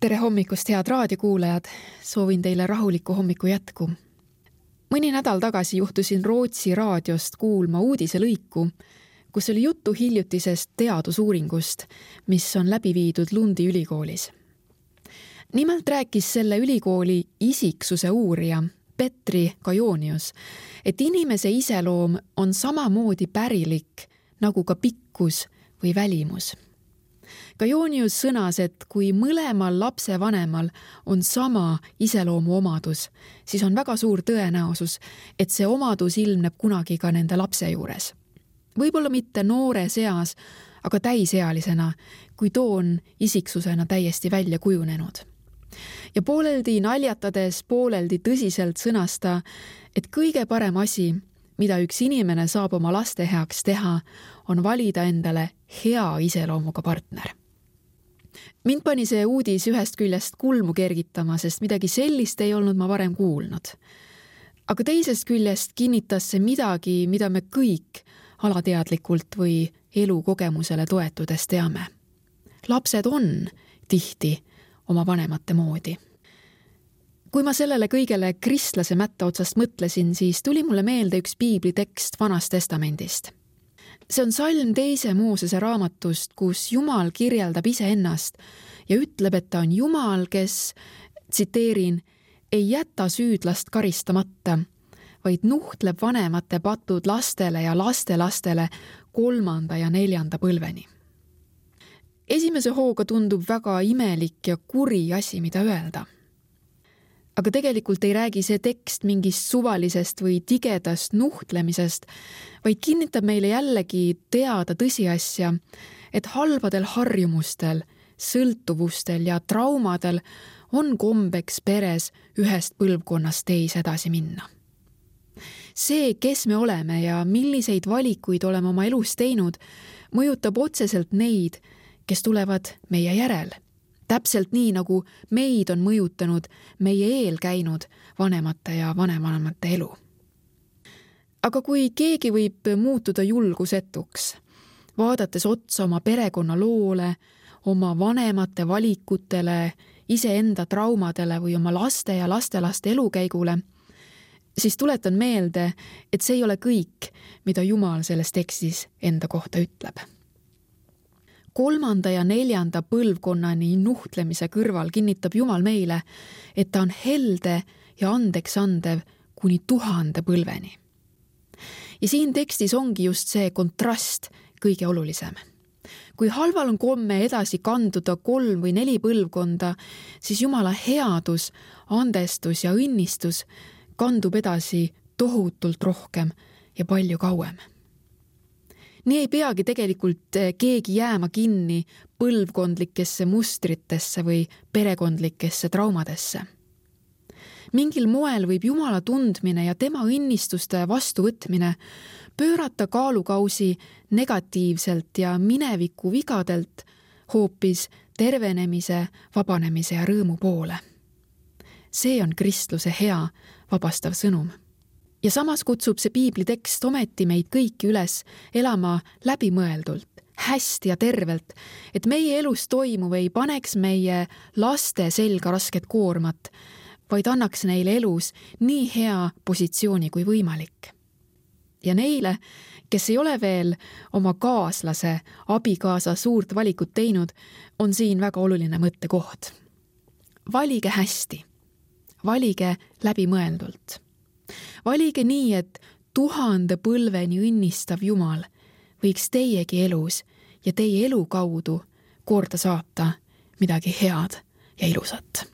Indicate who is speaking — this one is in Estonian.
Speaker 1: Tere hommikust, head raadiokuulajad! Soovin teile rahulikku hommiku jätku. Mõni nädal tagasi juhtusin Rootsi raadiost kuulma uudiselõiku, kus oli juttu hiljutisest teadusuuringust, mis on läbi viidud Lundi ülikoolis. Nimelt rääkis selle ülikooli isiksuse uurija Petri Kajonius, et inimese iseloom on samamoodi pärilik nagu ka pikkus või välimus. Kajonius sõnas, et kui mõlemal lapsevanemal on sama iseloomu omadus, siis on väga suur tõenäosus, et see omadus ilmneb kunagi ka nende lapse juures. Võib-olla mitte noore seas, aga täisealisena, kui too on isiksusena täiesti välja kujunenud. Ja pooleldi naljatades, pooleldi tõsiselt sõnasta, et kõige parem asi, mida üks inimene saab oma laste heaks teha, on valida endale hea iseloomuga partner. Mind pani see uudis ühest küljest kulmu kergitama, sest midagi sellist ei olnud ma varem kuulnud. Aga teisest küljest kinnitas see midagi, mida me kõik alateadlikult või elukogemusele toetudes teame. Lapsed on tihti oma vanemate moodi. Kui ma sellele kõigele kristlase mätta otsast mõtlesin, siis tuli mulle meelde üks piiblitekst Vanast Testamendist. See on salm 2. Moosese raamatust, kus Jumal kirjeldab iseennast ja ütleb, et ta on Jumal, kes, tsiteerin, ei jäta süüdlast karistamata, vaid nuhtleb vanemate patud lastele ja lastelastele 3. ja 4. põlveni. Esimese hooga tundub väga imelik ja kuri asi, mida öelda. Aga tegelikult ei räägi see tekst mingist suvalisest või tigedast nuhtlemisest, vaid kinnitab meile jällegi teada tõsiasja, et halbadel harjumustel, sõltuvustel ja traumadel on kombeks peres ühest põlvkonnast teise edasi minna. See, kes me oleme ja milliseid valikuid oleme oma elus teinud, mõjutab otseselt neid, kes tulevad meie järel. Täpselt nii, nagu meid on mõjutanud meie eel käinud vanemate ja vanemanemate elu. Aga kui keegi võib muutuda julgusetuks, vaadates otsa oma perekonna loole, oma vanemate valikutele, iseenda traumadele või oma laste ja lastelaste elukäigule, siis tuletan meelde, et see ei ole kõik, mida Jumal selles tekstis enda kohta ütleb. 3. ja 4. põlvkonnani nuhtlemise kõrval kinnitab Jumal meile, et ta on helde ja andeks andev kuni 1000 põlveni. Ja siin tekstis ongi just see kontrast kõige olulisem. Kui halval on komme edasi kanduda 3 või 4 põlvkonda, siis Jumala headus, andestus ja õnnistus kandub edasi tohutult rohkem ja palju kauem. Nii ei peagi tegelikult keegi jääma kinni põlvkondlikesse mustritesse või perekondlikesse traumadesse. Mingil moel võib Jumala tundmine ja tema õnnistuste vastuvõtmine pöörata kaalukausi negatiivselt ja mineviku vigadelt hoopis tervenemise, vabanemise ja rõõmu poole. See on kristluse hea, vabastav sõnum. Ja samas kutsub see piiblitekst ometi meid kõiki üles elama läbimõeldult, hästi ja tervelt, et meie elus toimuv ei paneks meie laste selga rasket koormat, vaid annaks neile elus nii hea positsiooni kui võimalik. Ja neile, kes ei ole veel oma kaaslase, abikaasa suurt valikut teinud, on siin väga oluline mõttekoht. Valige hästi, valige läbimõeldult. Valige nii, et 1000 põlveni õnnistav Jumal võiks teiegi elus ja teie elu kaudu korda saata midagi head ja ilusat.